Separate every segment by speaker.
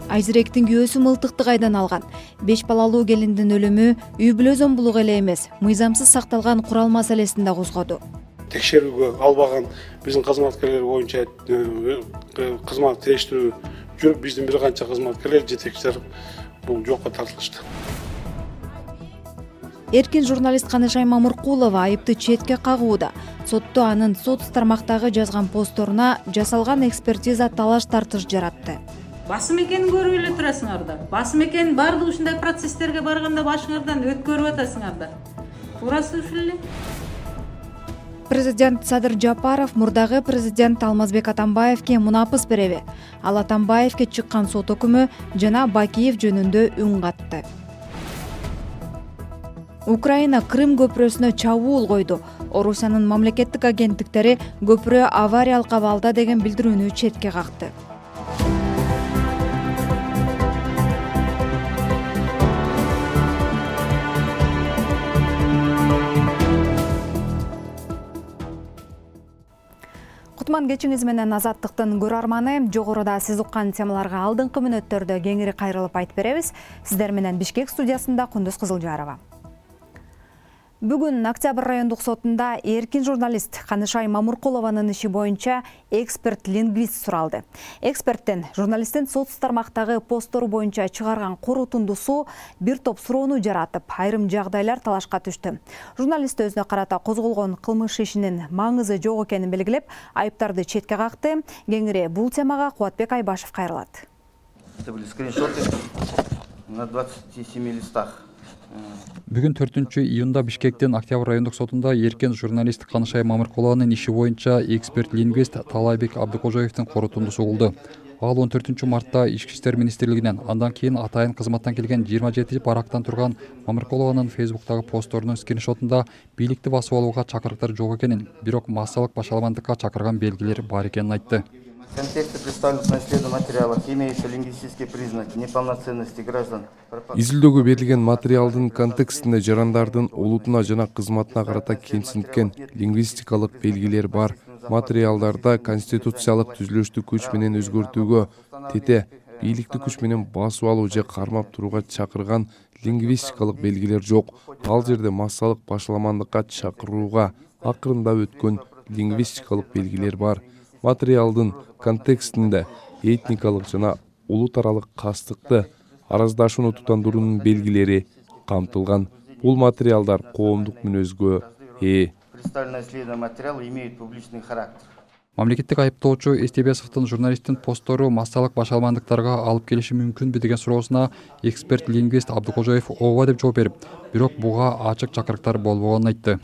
Speaker 1: Айзиректин күйөөсү мылтыкты кайдан алган? 5 балалуу келиндин өлүмү үй бүлө зомбулугу эле эмес, мыйзамсыз сакталган курал маселесин да козгоду.
Speaker 2: Текшерүүгө албаган биздин кызматкерлер боюнча кызмат териштирүү жүрүп, биздин бир канча кызматкерлер жетекчилер бул жокко тартылышты.
Speaker 1: Эркин журналист Канышай Мамыркулова айыпты четке кагууда. Сотто анын соц тармактагы жазган постторуна жасалган экспертиза талаш-тартыш жаратты.
Speaker 3: Басым экенин көрүп эле турасыңардар. Басым экенин баардык ушундай процесстерге барганда башыңардан өткөрүп атасыңардар. Туурасы ушул эле.
Speaker 1: Президент Садыр Жапаров мурдагы президент Алмазбек Атамбаевге мунапыс береби. Ал Атамбаевге чыккан сот өкүмү жана Бакиев жөнүндө үн катты. Украина Крым көпүрөсүнө чабуул койду. Орусиянын мамлекеттик агенттиктери көпүрө авариялык абалда деген билдирүүнү четке какты. Кутман кечиңиз менен Азаттыктын көрөрманы. Жогоруда сиз уккан темаларга алдыңкы мүнөттөрдө кеңири кайрылып айтып беребиз. Сиздер менен Бишкек студиясында Кундуз Кызылжарова. Бүгүн Октябрь райондук сотунда эркин журналист Канышай Мамыркулованын иши боюнча эксперт-лингвист суралды. Эксперттен журналисттин соц тармактагы посттору боюнча чыгарган корутундусу бир топ суроону жаратып, айрым жагдайлар талашка түштү. Журналист өзүнө карата козголгон кылмыш ишинин маңызы жок экенин белгилеп, айыптарды четке какты. Кеңири бул темага Кубатбек Айбашев кайрылат.
Speaker 4: Это были скриншоты на 27 листах.
Speaker 5: Бүгүн 4-июнда Бишкектин Октябрь райондук сотунда эркин журналист Канышай Мамыркулованын иши боюнча эксперт-лингвист Талайбек Абдыкожоевдин корутундусу болду. Ал 14-мартта Ички иштер министрлигинен, андан кийин атайын кызматтан келген 27 барактан турган Мамыркулованын Фейсбуктагы постторунун скриншотунда бийликти басып алууга чакырыктар жок экенин, бирок массалык башаламандыкка чакырган белгилер бар экенин айтты.
Speaker 4: В контексте представленных на исследовании материалов имеются лингвистические признаки неполноценности граждан.
Speaker 6: Изилдөөгө берилген материалдын контекстинде жарандардын улутуна жана кызматына карата кемсинткен лингвистикалык белгилер бар. Материалдарда конституциялык түзүлүштү күч менен өзгөртүүгө, тете бийликти күч менен басып алуу же кармап турууга чакырган лингвистикалык белгилер жок. Ал жерде массалык башаламандыкка чакырууга акырында өткөн лингвистикалык белгилер бар. Материалдын контекстинде этникалык жана улут аралык кастыкты, араздашууну тутандыруунун белгилери камтылган. Бул материалдар коомдук мүнөзгө ээ.
Speaker 4: Представленные исследованные материалы имеют публичный характер.
Speaker 5: Мамлекеттик айыптоочу Эстебесовдун журналисттин посттору массалык башаламандыктарга алып келиши мүмкүнбү деген суроосуна эксперт-лингвист Абдыкожоев ооба деп жооп берип, бирок буга ачык чакырыктар болбогонун айтты.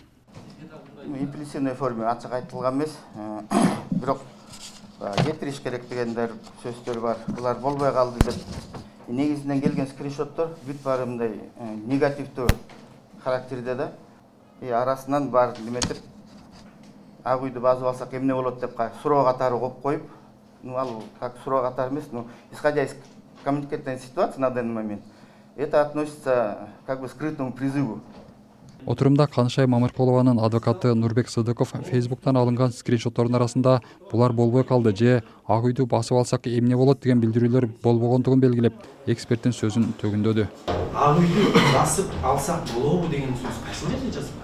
Speaker 4: Имплисивный форме ачык айтылган эмес, бирок кетириш керек дегендер сөздөр бар. Булар болбой калды деп негизинен келген скриншоттор бүт баары мындай негативдүү характерде да. Арасынан бар неметип ак үйдү басып алсак эмне болот деп суроо катары коюп коюп, ал как суроо катары эмес, исходя из коммуникативной ситуации на данный момент, это относится как бы к скрытому призыву.
Speaker 5: Отурумда Канышай Мамыркулованын адвокаты Нурбек Сыдыков Фейсбуктан алынган скриншоттордун арасында булар болбой калды же ак үйдү басып алсак эмне болот деген билдирүүлөр болбогондугун белгилеп, эксперттин сөзүн төгүндөдү.
Speaker 7: Ак үйдү басып алсак болобу деген сөз кайсы жерде жазылган?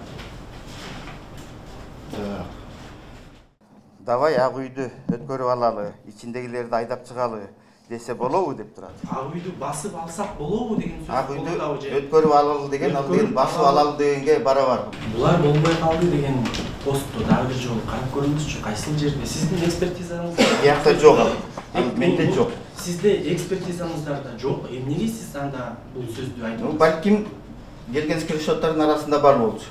Speaker 4: Давай ак үйдү өткөрүп алалы, ичиндегилерди айдап чыгалы десе болобу деп турат.
Speaker 7: Ак үйдү басып алсак болобу деген сөз.
Speaker 4: Ак үйдү өткөрүп алалы деген, ал деген басып алалы дегенге барабар.
Speaker 7: Булар болбой калды деген постту дагы бир жолу карап көрүңүзчү, кайсыл жерде сиздин экспертизаңызда?
Speaker 4: Биякта жок. Менде жок.
Speaker 7: Сизде экспертизаңыздарда жок. Эмнеге сиз анда бул сөздү айтып атасыз?
Speaker 4: Балким келген скриншоттордун арасында бар болчу.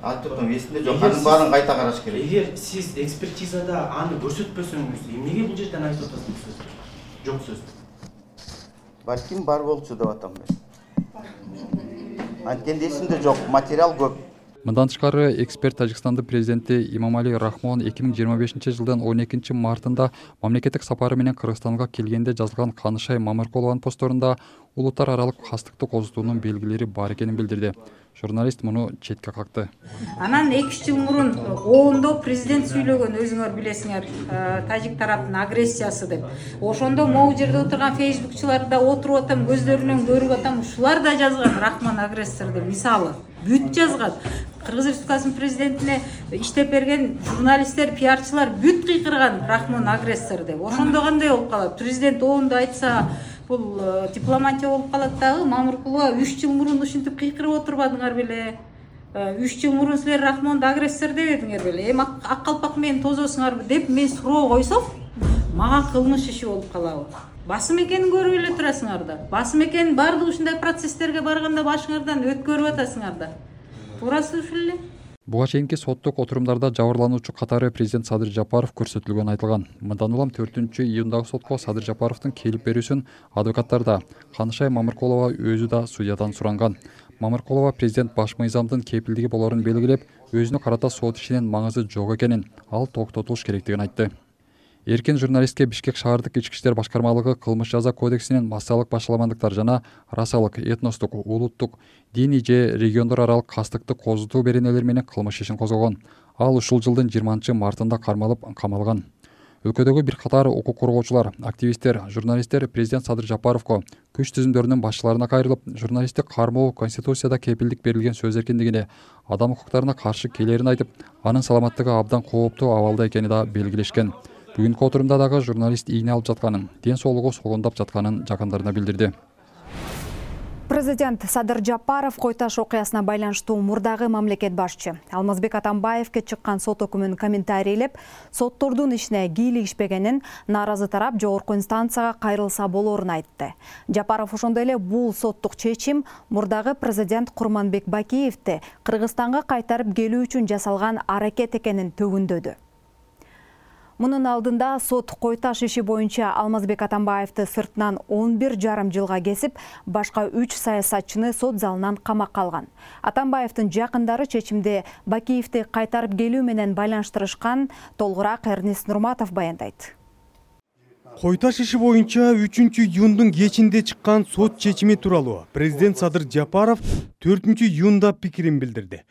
Speaker 4: Айтып атам, эсимде жок. Анын баарын кайта караш керек.
Speaker 7: Эгер сиз экспертизада аны көрсөтпөсөңүз, эмнеге бул жерден айтып атасыз бул сөздү? Жок сөз.
Speaker 4: Балким бар болчу деп атам мен. Анткенде эсимде жок, материал көп.
Speaker 5: Мындан тышкары эксперт Тажикстандын президенти Имамали Рахмон 2025 жылдын 12 мартында мамлекеттик сапары менен Кыргызстанга келгенде жазылган Канышай Мамыркулованын постторунда улуттар аралык кастыкты козутуунун белгилери бар экенин билдирди. Журналист муну четке какты.
Speaker 3: Анан 2 жыл мурун оондо президент сүйлөгөн, өзүңөр билесиңер, тажик тараптын агрессиясы деп. Ошондо могу жерде отурган фейсбукчулар да отуруп атам, көздөрүнөн көрүп атам, ушулар да жазган Рахман агрессор деп. Мисалы, бүт жазган. Кыргыз Республикасынын президентине иштеп берген журналисттер, пиарчылар бүт кыйкырган Рахман агрессор деп. Ошондо кандай болуп калат? Президент оондо айтса, бул дипломатия болуп калат дагы. Мамыркулова 3 жыл мурун ушинтип кыйкырып отурбадыңар беле? 3 жыл мурун силер Рахмонду агрессор дебедиңер беле? Ак калпак менен тозосуңарбы деп мен суроо койсом, мага кылмыш иши болуп калабы? Басым экенин көрүп эле турасыңар да. Басым экенин баардык ушундай процесстерге барганда башыңардан өткөрүп атасыңар да. Туурасы ушул эле.
Speaker 5: Буга чейинки соттук отурумдарда жабырлануучу катары президент Садыр Жапаров көрсөтүлгөнү айтылган. Мындан улам 4-июндагы сотко Садыр Жапаровдун келип берүүсүн адвокаттар да, Канышай Мамыркулова өзү да судьядан суранган. Мамыркулова президент баш мыйзамдын кепилдиги болорун белгилеп, өзүнө карата сот ишинин маңызы жок экенин, ал токтотулуш керектигин айтты. Эркин журналистке Бишкек шаардык ички иштер башкармалыгы кылмыш жаза кодексинин массалык башаламандыктар жана расалык, этностук, улуттук, диний же региондор аралык кастыкты козутуу беренелери менен кылмыш ишин козгогон. Ал ушул жылдын 20 мартында кармалып камалган. Өлкөдөгү бир катар укук коргоочулар, активисттер, журналисттер президент Садыр Жапаровго, күч түзүмдөрүнүн башчыларына кайрылып, журналисттик кармоо Конституцияда кепилдик берилген сөз эркиндигине, адам укуктарына каршы келерин айтып, анын саламаттыгы абдан кооптуу абалда экени да белгилешкен. Бүгүнкү отурумда дагы журналист ийне алып жатканын, ден соолугу солондоп жатканын жакындарына билдирди.
Speaker 1: Президент Садыр Жапаров Кой-Таш окуясына байланыштуу мурдагы мамлекет башчы Алмазбек Атамбаевке чыккан сот өкүмүн комментарийлеп, соттордун ишине кийлигишпегенин, нааразы тарап жогорку инстанцияга кайрылса болорун айтты. Жапаров ошондой эле бул соттук чечим мурдагы президент Курманбек Бакиевди Кыргызстанга кайтарып келүү үчүн жасалган аракет экенин төгүндөдү. Мунун алдында сот Кой-Таш иши боюнча Алмазбек Атамбаевди сыртынан 11,5 жылга кесип, башка 3 саясатчыны сот залынан камакка алган. Атамбаевдин жакындары чечимди Бакиевди кайтарып келүү менен байланыштырышкан, толугураак Эрнест Нурматов баяндайт.
Speaker 8: Кой-Таш иши боюнча 3-июндун кечинде чыккан сот чечими тууралуу президент Садыр Жапаров 4-июнда пикирин билдирди.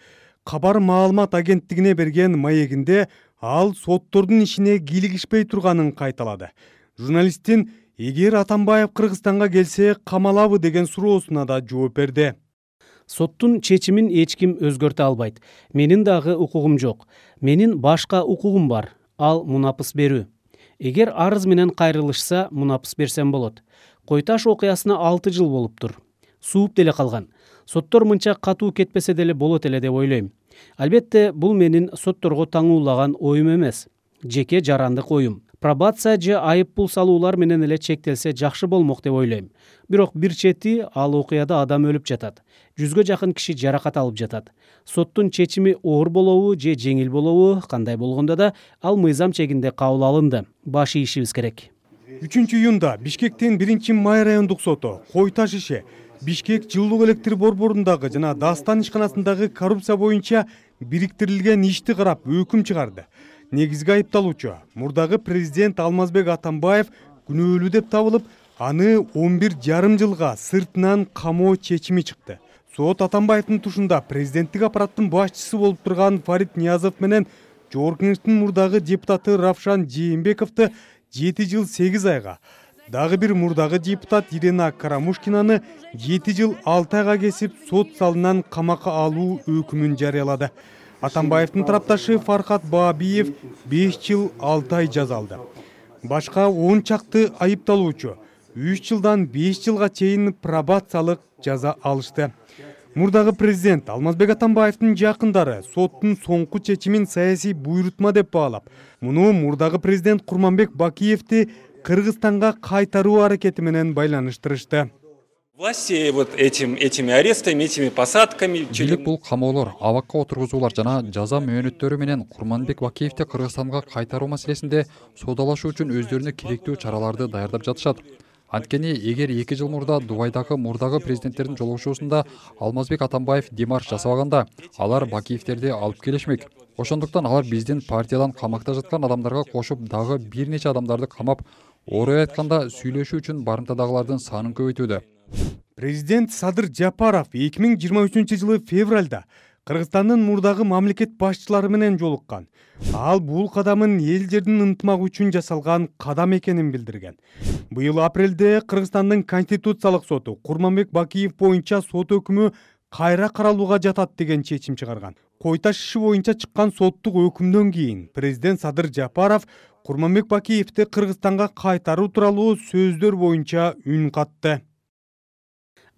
Speaker 8: Кабар маалымат агенттигине берген маегинде ал соттордун ишине кийлигишпей турганын кайталады. Журналисттин эгер Атамбаев Кыргызстанга келсе камалабы деген суроосуна да жооп берди.
Speaker 9: Соттун чечимин эч ким өзгөртө албайт. Менин дагы укугум жок. Менин башка укугум бар. Ал мунапыс берүү. Эгер арыз менен кайрылышса, мунапыс берсем болот. Кой-Таш окуясына 6 жыл болуптур. Сууп деле калган. Соттор мынча катуу кетпесе деле болот эле деп ойлойм. Албетте, бул менин сотторго таңуулаган оюм эмес. Жеке жарандык оюм. Пробация же айып пул салуулар менен эле чектелсе жакшы болмок деп ойлойм. Бирок бир чети ал окуяда адам өлүп жатат. 100гө жакын киши жаракат алып жатат. Соттун чечими оор болобу же жеңил болобу, кандай болгондо да ал мыйзам чегинде кабыл алынды. Баш ийишибиз керек.
Speaker 8: 3-июнда Бишкектин 1-Май райондук соту Кой-Таш иши Бишкек жылуулук электр борборундагы жана Дастан ишканасындагы коррупция боюнча бириктирилген ишти карап өкүм чыгарды. Негизги айыпталуучу мурдагы президент Алмазбек Атамбаев күнөөлүү деп табылып, аны 11,5 жылга сыртынан камоо чечими чыкты. Сот Атамбаевдин тушунда президенттик аппараттын башчысы болуп турган Фарид Ниязов менен Жогорку Кеңештин мурдагы депутаты Равшан Жээнбековду 7 жыл 8 айга, дагы бир мурдагы депутат Ирина Карамушкинаны 7 жыл 6 айга кесип сот залынан камакка алуу өкүмүн жарыялады. Атамбаевдин тарапташы Фархат Баабиев 5 жыл 6 ай жаза алды. Башка 10 чакты айыпталуучу 3 жылдан 5 жылга чейин пробациялык жаза алышты. Мурдагы президент Алмазбек Атамбаевдин жакындары соттун соңку чечимин саясий буйрутма деп баалап, муну мурдагы президент Курманбек Бакиевди Кыргызстанга кайтаруу аракети менен байланыштырышты.
Speaker 10: Власти вот этими арестами, этими посадками.
Speaker 5: Бийлик бул камоолор, абакка отургузуулар жана жаза мөөнөттөрү менен Курманбек Бакиевди Кыргызстанга кайтаруу маселесинде соодалашуу үчүн өздөрүнө керектүү чараларды даярдап жатышат. Анткени эгер 2 жыл мурда Дубайдагы мурдагы президенттердин жолугушуусунда Алмазбек Атамбаев демарш жасабаганда, алар Бакиевтерди алып келишмек. Ошондуктан алар биздин партиядан камакта жаткан адамдарга кошуп дагы бир нече адамдарды камап, орой айтканда сүйлөшүү үчүн барымтадагылардын санын көбөйтүүдө.
Speaker 8: Президент Садыр Жапаров 2023-жылы февралда Кыргызстандын мурдагы мамлекет башчылары менен жолуккан. Ал бул кадамын эл жердин ынтымагы үчүн жасалган кадам экенин билдирген. Быйыл апрелде Кыргызстандын Конституциялык соту Курманбек Бакиев боюнча сот өкүмү кайра каралууга жатат деген чечим чыгарган. Кой Таш иши боюнча чыккан соттук өкүмдөн кийин президент Садыр Жапаров Курманбек Бакиевди Кыргызстанга кайтаруу тууралуу сөздөр боюнча үн катты.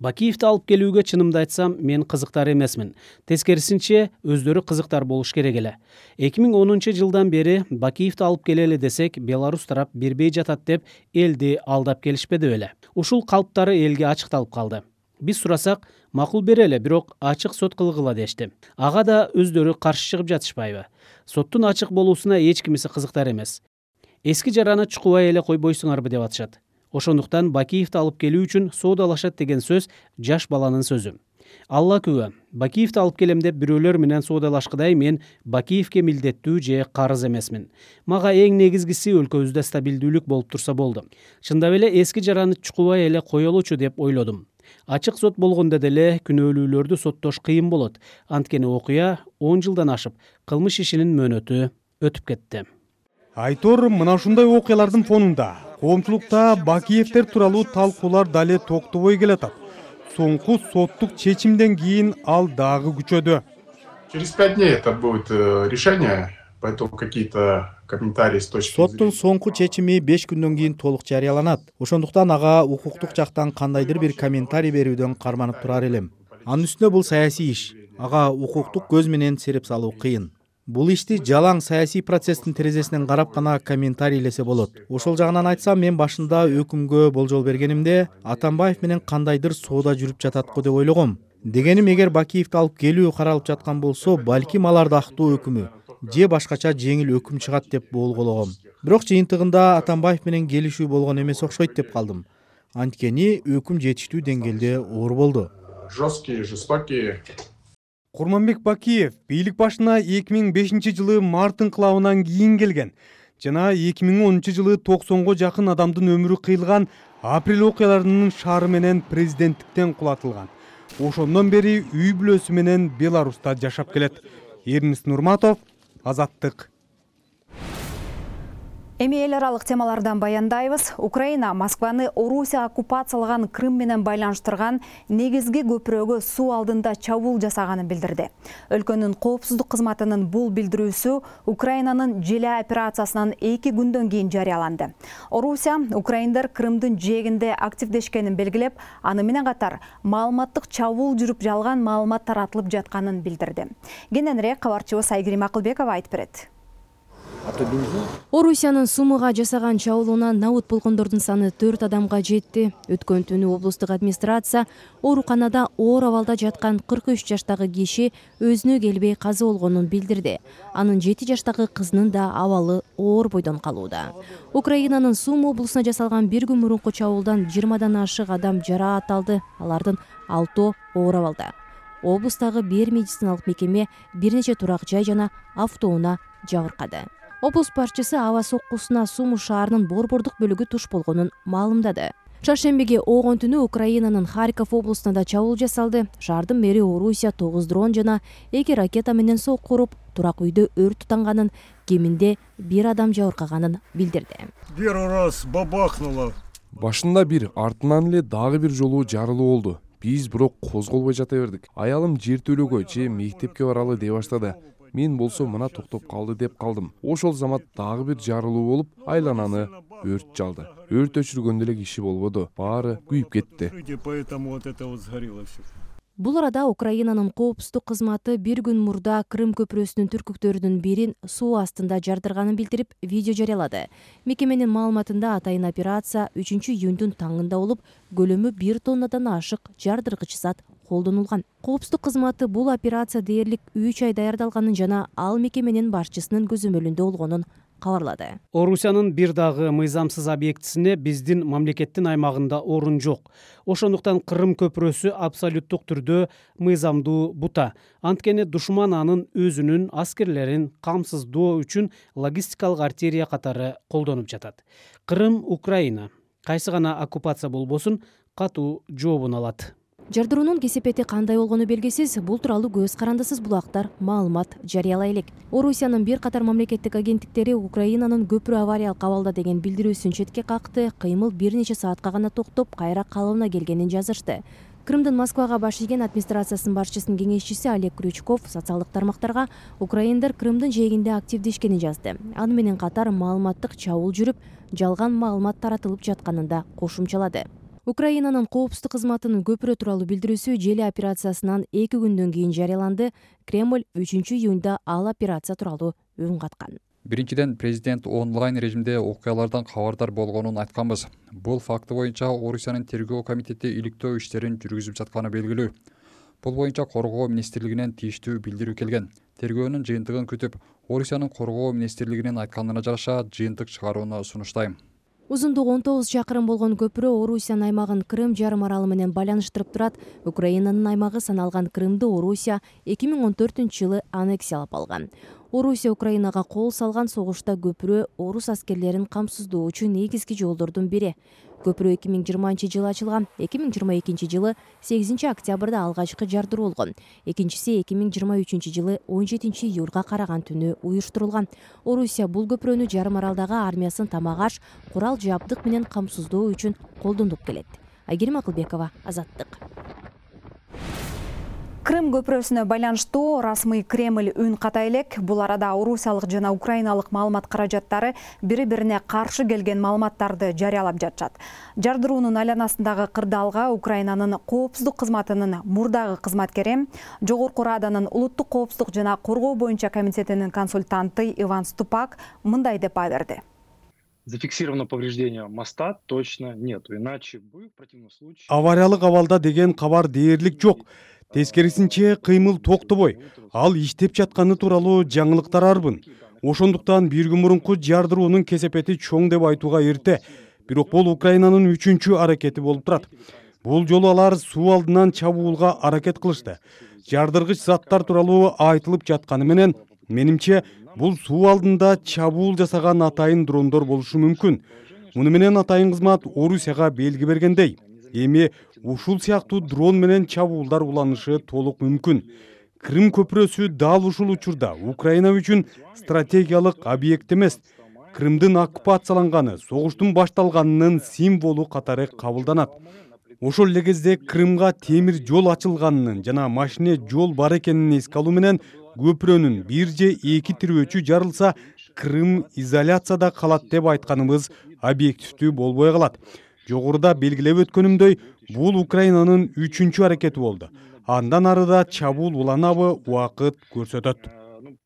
Speaker 9: Бакиевди алып келүүгө чынымды айтсам, мен кызыктар эмесмин. Тескерисинче, өздөрү кызыктар болуш керек эле. 2010-жылдан бери Бакиевди алып келели десек, Беларусь тарап бербей жатат деп элди алдап келишпеди беле. Ушул калптары элге ачыкталып калды. Биз сурасак, макул берели, бирок ачык сот кылгыла дешти. Ага да өздөрү каршы чыгып жатышпайбы? Соттун ачык болуусуна эч кимиси кызыктар эмес. Эски жараны чукубай эле койбойсуңарбы деп атышат. Ошондуктан Бакиевди алып келүү үчүн соодалашат деген сөз жаш баланын сөзү. Алла күбө, Бакиевди алып келем деп бирөөлөр менен соодалашкыдай мен Бакиевке милдеттүү же карыз эмесмин. Мага эң негизгиси өлкөбүздө стабилдүүлүк болуп турса болду. Чындап эле эски жараны чукубай эле коелучу деп ойлодум. Ачык сот болгондо деле күнөөлүүлөрдү соттош кыйын болот. Анткени окуя 10 жылдан ашып, кылмыш ишинин мөөнөтү өтүп кетти.
Speaker 8: Айтор, мына ушундай окуялардын фонунда коомчулукта Бакиевтер тууралуу талкуулар дале токтобой келатат. Соңку соттук чечимден кийин ал дагы күчөдү.
Speaker 11: Через 5 дней это будет решение, поэтому какие-то комментарии с точки зрения.
Speaker 12: Соттун соңку чечими 5 күндөн кийин толук жарыяланат. Ошондуктан ага укуктук жактан кандайдыр бир комментарий берүүдөн карманып турар элем. Анын үстүнө бул саясий иш. Ага укуктук көз менен сереп салуу кыйын. Бул ишти жалаң саясий процесстин терезесинен карап гана комментарийлесе болот. Ошол жагынан айтсам, мен башында өкүмгө болжол бергенимде Атамбаев менен кандайдыр соода жүрүп жатат го деп ойлогом. Дегеним, эгер Бакиевди алып келүү каралып жаткан болсо, балким аларда актуу өкүмү же башкача жеңил өкүм чыгат деп болгологом. Бирок жыйынтыгында Атамбаев менен келишүү болгон эмес окшойт деп калдым. Анткени өкүм жетиштүү деңгээлде оор болду.
Speaker 11: Жесткие, жестокие.
Speaker 8: Курманбек Бакиев бийлик башына 2005-жылы март инкылабынан кийин келген жана 2010-жылы 90го жакын адамдын өмүрү кыйылган апрель окуяларынын шаары менен президенттиктен кулатылган. Ошондон бери үй бүлөсү менен Беларуста жашап келет. Эрнис Нурматов, Азаттык.
Speaker 1: Эми эл аралык темалардан баяндайбыз. Украина Москваны Орусия оккупациялаган Крым менен байланыштырган негизги көпүрөгө суу алдында чабуул жасаганын билдирди. Өлкөнүн коопсуздук кызматынын бул билдирүүсү Украинанын желе операциясынан 2 күндөн кийин жарыяланды. Орусия украиндар Крымдын жээгинде активдешкенин белгилеп, аны менен катар маалыматтык чабуул жүрүп жалган маалымат таратылып жатканын билдирди. Кененирээк кабарчыбыз Айгерим Акылбекова айтып берет.
Speaker 13: Орусиянын Сумыга жасаган чабуулунан набут болгондордун саны 4 адамга жетти. Өткөн түнү облустук администрация ооруканада оор абалда жаткан 43 жаштагы киши өзүнө келбей каза болгонун билдирди. Анын 7 жаштагы кызынын да абалы оор бойдон калууда. Украинанын Сум облусуна жасалган бир күн мурунку чабуулдан 20дан ашык адам жараат алды. Алардын 6 оор абалда. Облустагы бир медициналык мекеме бир нече турак жай жана автоунаа жабыркады. Облус башчысы аба соккусуна Сумы шаарынын борбордук бөлүгү туш болгонун маалымдады. Чаршембиге огон түнү Украинанын Харьков облусуна да чабуул жасалды. Шаардын мэри Орусия 9 дрон жана 2 ракета менен сокку уруп, турак үйдө өрт тутанганын, кеминде 1 адам жабыркаганын билдирди.
Speaker 14: Первый раз бабахнуло.
Speaker 6: Башында бир, артынан эле дагы бир жолу жарылуу болду. Биз бирок козголбой жата бердик. Аялым жертөлөгө же мектепке баралы деп баштады. Мен болсо мына токтоп калды деп калдым. Ошол замат дагы бир жарылуу болуп, айлананы өрт жалды. Өрт өчүргөндө эле киши болбоду. Баары күйүп кетти.
Speaker 13: Бул арада Украинанын коопсуздук кызматы бир күн мурда Крым көпүрөсүнүн түркүктөрүнүн бирин суу астында жардырганын билдирип, видео жарыялады. Мекеменин маалыматында атайын операция 3-июндун таңында болуп, көлөмү 1 тоннадан ашык жардыргыч зат колдонулган. Коопсуздук кызматы бул операция дээрлик 3 ай даярдалганын жана ал мекеменин башчысынын көзөмөлүндө болгонун кабарлады.
Speaker 9: Орусиянын бир дагы мыйзамсыз объектисине биздин мамлекеттин аймагында орун жок. Ошондуктан Кырым көпүрөсү абсолюттук түрдө мыйзамдуу бута. Анткени душман анын өзүнүн аскерлерин камсыздоо үчүн логистикалык артерия катары колдонуп жатат. Кырым Украина кайсы гана оккупация болбосун катуу жообун алат.
Speaker 13: Жардыруунун кесепети кандай болгону белгисиз, бул тууралуу көз карандысыз булактар маалымат жарыялай элек. Орусиянын бир катар мамлекеттик агенттиктери Украинанын көпүрө авариялык абалда деген билдирүүсүн четке какты, кыймыл бир нече саатка гана токтоп, кайра калыбына келгенин жазышты. Крымдын Москвага баш ийген администрациясынын башчысынын кеңешчиси Олег Крючков социалдык тармактарга украиндар Крымдын жээгинде активдешкенин жазды. Аны менен катар маалыматтык чабуул жүрүп, жалган маалымат таратылып жатканын да кошумчалады. Украинанын коопсуздук кызматынын көпүрө тууралуу билдирүүсү желе операциясынан 2 күндөн кийин жарыяланды. Кремль 3-июнда ал операция тууралуу үн каткан.
Speaker 5: Биринчиден, президент онлайн режимде окуялардан кабардар болгонун айтканбыз. Бул факты боюнча Орусиянын тергөө комитети иликтөө иштерин жүргүзүп жатканы белгилүү. Бул боюнча Коргоо министрлигинен тийиштүү билдирүү келген. Тергөөнүн жыйынтыгын күтүп, Орусиянын Коргоо министрлигинин айтканына жараша жыйынтык чыгарууну сунуштайм.
Speaker 13: Узундугу 19 чакырым болгон көпүрө Орусиянын аймагын Крым жарым аралы менен байланыштырып турат. Украинанын аймагы саналган Крымды Орусия 2014-жылы аннексиялап алган. Орусия Украинага кол салган согушта көпүрө орус аскерлерин камсыздоочу негизги жолдордун бири. Көпүрө 2020-жылы ачылган, 2022-жылы 8 октябрда алгачкы жардыруу болгон. Экинчиси 2023-жылы 17 июлга караган түнү уюштурулган. Орусия бул көпүрөнү жарым аралдагы армиясын тамак-аш, курал жабдык менен камсыздоо үчүн колдонуп келет. Айгерим Акылбекова, Азаттык.
Speaker 1: Крым көпүрөсүнө байланыштуу расмый Кремль үн ката элек. Бул арада орусиялык жана украиналык маалымат каражаттары бири-бирине каршы келген маалыматтарды жарыялап жатышат. Жардыруунун айланасындагы кырдаалга Украинанын коопсуздук кызматынын мурдагы кызматкери, Жогорку Раданын улуттук коопсуздук жана коргоо боюнча комитетинин консультанты Иван Ступак мындай деп баа берди.
Speaker 15: Зафиксировано повреждение моста точно нету, иначе бы в противном случае...
Speaker 8: Авариялык абалда деген кабар дээрлик жок. Тескерисинче кыймыл токтобой, ал иштеп жатканы тууралуу жаңылыктар арбын. Ошондуктан бир күн мурунку жардыруунун кесепети чоң деп айтууга эрте. Бирок бул Украинанын 3-чү аракети болуп турат. Бул жолу алар суу алдынан чабуулга аракет кылышты. Жардыргыч заттар тууралуу айтылып жатканы менен, менимче бул суу алдында чабуул жасаган атайын дрондор болушу мүмкүн. Муну менен атайын кызмат Орусияга белги бергендей. Эми ушул сыяктуу дрон менен чабуулдар уланышы толук мүмкүн. Крым көпүрөсү дал ушул учурда Украина үчүн стратегиялык объект эмес. Крымдын оккупацияланганы, согуштун башталганынын символу катары кабылданат. Ошол эле кезде Крымга темир жол ачылганынын жана машине жол бар экенин эске алуу менен көпүрөнүн 1 же 2 тирөөчү жарылса, Крым изоляцияда калат деп айтканыбыз объективдүү болбой калат. Жогоруда белгилеп өткөнүмдөй, бул Украинанын 3-чү аракети болду. Андан арыда чабуул уланабы, убакыт көрсөтөт.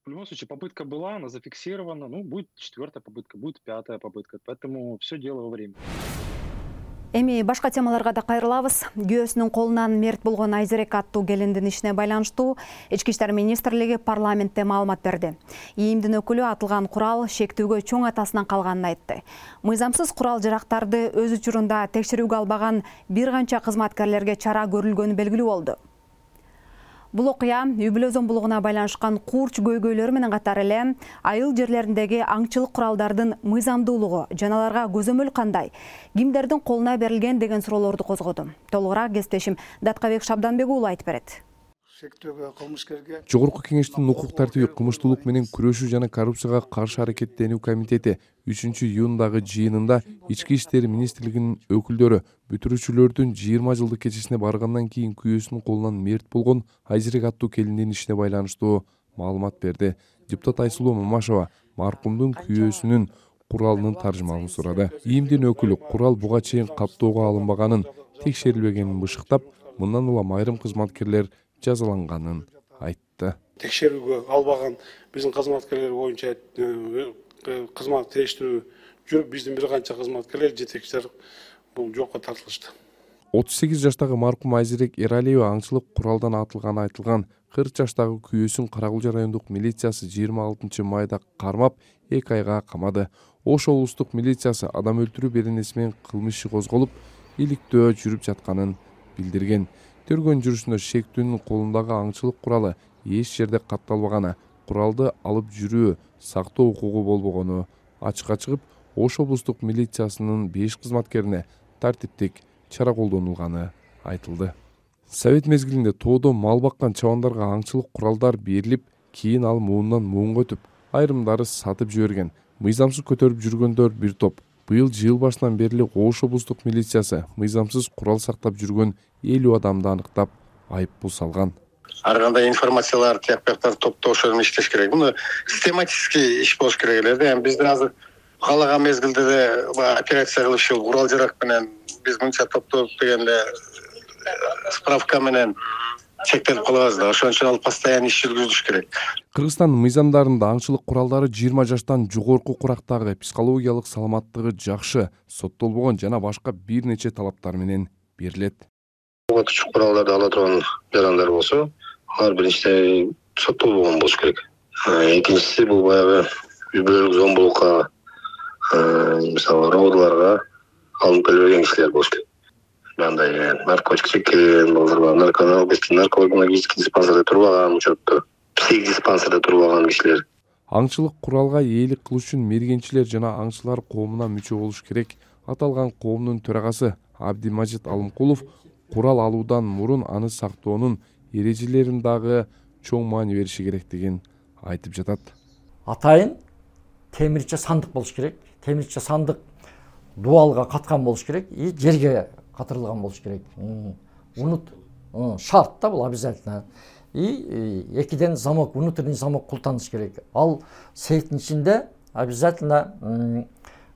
Speaker 15: В любом случае, попытка была, она зафиксирована, будет 4-я попытка, будет 5-я попытка, поэтому все дело во времени.
Speaker 1: Эми башка темаларга да кайрылабыз. Күйөөсүнүн колунан мерт болгон Айзерек аттуу келиндин ишине байланыштуу Ички иштер министрлиги парламентте маалымат берди. ИИМдин өкүлү атылган курал шектүүгө чоң атасынан калганын айтты. Мыйзамсыз курал жарактарды өз учурунда текшерүүгө албаган бир канча кызматкерлерге чара көрүлгөнү белгилүү болду. Бул окуя Үбүлөзөн булугуна байланышкан курч көйгөйлөр менен катар эле айыл жерлериндеги аңчылык куралдардын мыйзамдуулугу жана аларга көзөмөл кандай, кимдердин колуна берилген деген суроолорду козгоду. Толугураак кесиптешим Даткабек Шабданбек уулу айтып берет.
Speaker 6: Жогорку кеңештин укук тартиби, кылмыштуулук менен күрөшүү жана коррупцияга каршы аракеттенүү комитети 3-июндагы жыйынында Ички иштер министрлигинин өкүлдөрү бүтүрүүчүлөрдүн 20 жылдык кечесине баргандан кийин күйөөсүнүн колунан мерт болгон Айзерек аттуу келиндин ишине байланыштуу маалымат берди. Депутат Айсулуу Мамашева маркумдун күйөөсүнүн куралынын таржымалын сурады. ИИМдин өкүлү курал буга чейин каттоого алынбаганын, текшерилбегенин бышыктап, мындан улам айрым кызматкерлер жазаланганын айтты.
Speaker 2: Текшерүүгө албаган биздин кызматкерлер боюнча кызмат териштирүү жүрүп, биздин бир канча кызматкерлер, жетекчилер бул жокко тартылышты.
Speaker 6: 38 жаштагы маркум Айзерек Эралиева аңчылык куралдан атылганы айтылган 40 жаштагы күйөөсүн Каракулча райондук милициясы 26 майда кармап 2 айга камады. Ош облустук милициясы адам өлтүрүү беренеси менен кылмыш иши козголуп, иликтөө жүрүп жатканын билдирген. Тергөө жүрүшүндө шектүүнүн колундагы аңчылык куралы эч жерде катталбаганы, куралды алып жүрүү, сактоо укугу болбогону ачыкка чыгып, Ош облустук милициясынын 5 кызматкерине тартиптик чара колдонулганы айтылды. Совет мезгилинде тоодо мал баккан чабандарга аңчылык куралдар берилип, кийин ал муундан муунга өтүп, айрымдары сатып жиберген. Мыйзамсыз көтөрүп жүргөндөр бир топ. Быйыл жыл башынан бери Ош облустук милициясы мыйзамсыз курал сактап жүргөн 50 адамды аныктап, айыппул салган.
Speaker 16: Ар кандай информациялар, тияктарды топтош менен иштеш керек. Муну систематический иш болуш керек эле да. Бизде азыр каалаган мезгилде де операция кылып ушул курал жарак менен биз мынча топтоп дегенде справка менен чектелип калабыз да. Ошон үчүн ал постоянно иш жүргүзүлүш керек.
Speaker 6: Кыргызстандын мыйзамдарында аңчылык куралдары 20 жаштан жогорку курактагы, психологиялык саламаттыгы жакшы, соттолбогон жана башка бир нече талаптар менен берилет.
Speaker 16: Отучук куралдарды ала турган жарандар болсо, алар биринчиден соттолбогон болуш керек. Экинчиси бул баягы үй-бүлөлүк зомбулукка, мисалы роодуларга алынып келе берген кишилер болуш керек. Мындай наркотик чеккен, наркологический диспансерде турбаган, учетто псих диспансерде турбаган кишилер.
Speaker 6: Аңчылык куралга ээлик кылыш үчүн мергенчилер жана аңчылар коомуна мүчө болуш керек. Аталган коомдун төрагасы Абдимажит Алымкулов курал алуудан мурун аны сактоонун эрежелерин дагы чоң маани бериши керектигин айтып жатат.
Speaker 17: Атайын темирче сандык болуш керек. Темирче сандык дуалга каткан болуш керек и жерге катырылган болуш керек. Унут шарт да бул обязательно. И экиден замок, внутренний замок култаныш керек. Ал сейфтин ичинде обязательно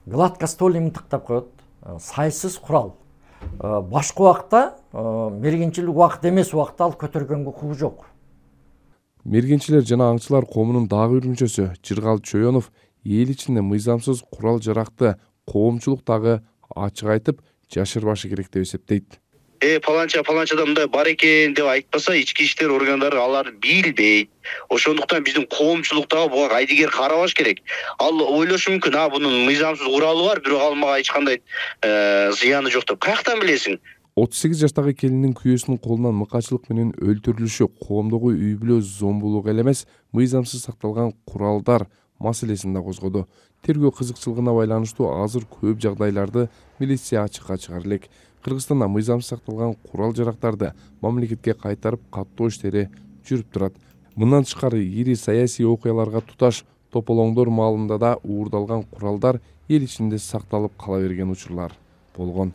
Speaker 17: гладкостольный мынтыктап коет. Сайсыз курал. Башка убакта мергенчилик убакыт эмес убакта ал көтөргөнгө укугу жок.
Speaker 6: Мергенчилер жана аңчылар коомунун дагы бир мүчөсү Жыргал Чоёнов эл ичинде мыйзамсыз курал жаракты коомчулуктагы ачык айтып жашырбашы керек деп эсептейт.
Speaker 16: Паланчада мындай бар экен деп айтпаса, ички иштер органдары алар билбейт. Ошондуктан биздин коомчулуктагы буга айдыгер карабаш керек. Ал ойлошу мүмкүн, бунун мыйзамсыз куралы бар, бирок ал мага эч кандай зыяны жок деп. Каяктан билесиң?
Speaker 6: 38 жаштагы келиндин күйөөсүнүн колунан мыкачылык менен өлтүрүлүшү коомдогу үй-бүлө зомбулук эле эмес, мыйзамсыз сакталган куралдар маселесин да козгоду. Тергөө кызыкчылыгына байланыштуу азыр көп жагдайларды милиция ачыкка чыгара элек. Кыргызстанда мыйзамсыз сакталган курал жарактарды мамлекетке кайтарып каттоо иштери жүрүп турат. Мындан тышкары ири саясий окуяларга туташ тополоңдор маалында да уурдалган куралдар эл ичинде сакталып кала берген учурлар болгон.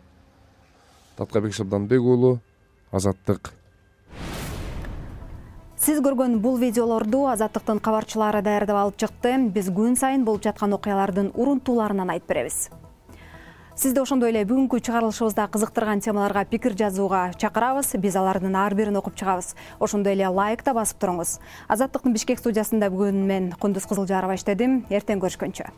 Speaker 6: Таткабек Шабданбек уулу, Азаттык.
Speaker 1: Сиз көргөн бул видеолорду Азаттыктын кабарчылары даярдап алып чыкты. Биз күн сайын болуп жаткан окуялардын урунтууларынан айтып беребиз. Сизди ошондой эле бүгүнкү чыгарылышыбызда кызыктырган темаларга пикир жазууга чакырабыз. Биз алардын ар бирин окуп чыгабыз. Ошондой эле лайк да басып туруңуз. Азаттыктын Бишкек студиясында бүгүн мен Кундуз Кызылжарова иштедим. Эртең көрүшкөнчө.